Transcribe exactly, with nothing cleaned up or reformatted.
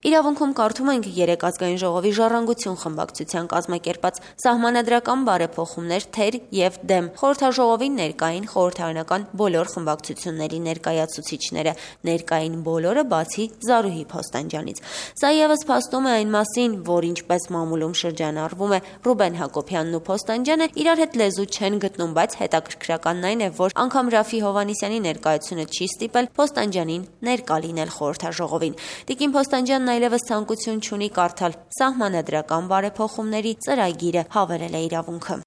Իրավունքում կարդում ենք երեք ազգային ժողովի ժառանգություն խմբակցության կազմակերպած սահմանադրական բարեփոխումներ թեր և դեմ խորհրդաժողովին ներկային խորհրդարանական բոլոր խմբակցությունների ներկայացուցիչները, ներկային բոլորը բացի Զարուհի Փոստանջյանից։ Սա ևս փաստում է այն մասին, որ ինչպես մամուլում շրջանառվում է Ռուբեն Հակոբյանն ու Փոստանջյանը իրար հետ լեզու չեն գտնում, բայց հետաքրքրականն այն է, որ անգամ Ռաֆի Հովհաննիսյանի ներկայությունը չի ստիպել Փոստանջյանին ներկա լինել խորհրդաժողովին։ Տիկին Փոստանջյանն այլևս ցանկություն չունի կարդալ սահմանադրական բարեփոխումների ծրագիրը, հավելել է իրավունքը։